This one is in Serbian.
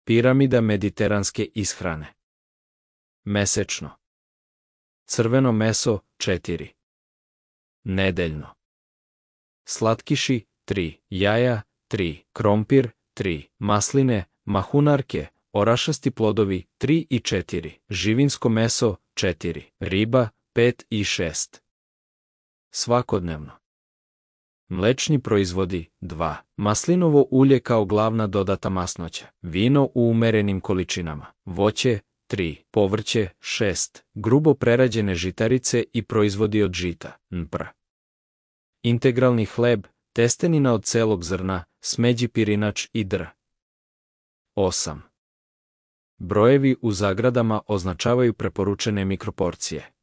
Piramida mediteranske ishrane. Mesečno. Crveno meso 4. Nedeljno. Slatkiši 3. Jaja 3. Krompir 3. Masline, mahunarke, orašasti plodovi 3 i 4. Živinsko meso 4. Riba 5 i 6. Svakodnevno. Mlečni proizvodi 2. Maslinovo ulje kao glavna dodata masnoća. Vino u umerenim količinama. Voće 3. Povrće 6. Grubo prerađene žitarice i proizvodi od žita. NPR. Integralni hleb, testenina od celog zrna, smeđi pirinač i dr. 8. Brojevi u zagradama označavaju preporučene mikroporcije.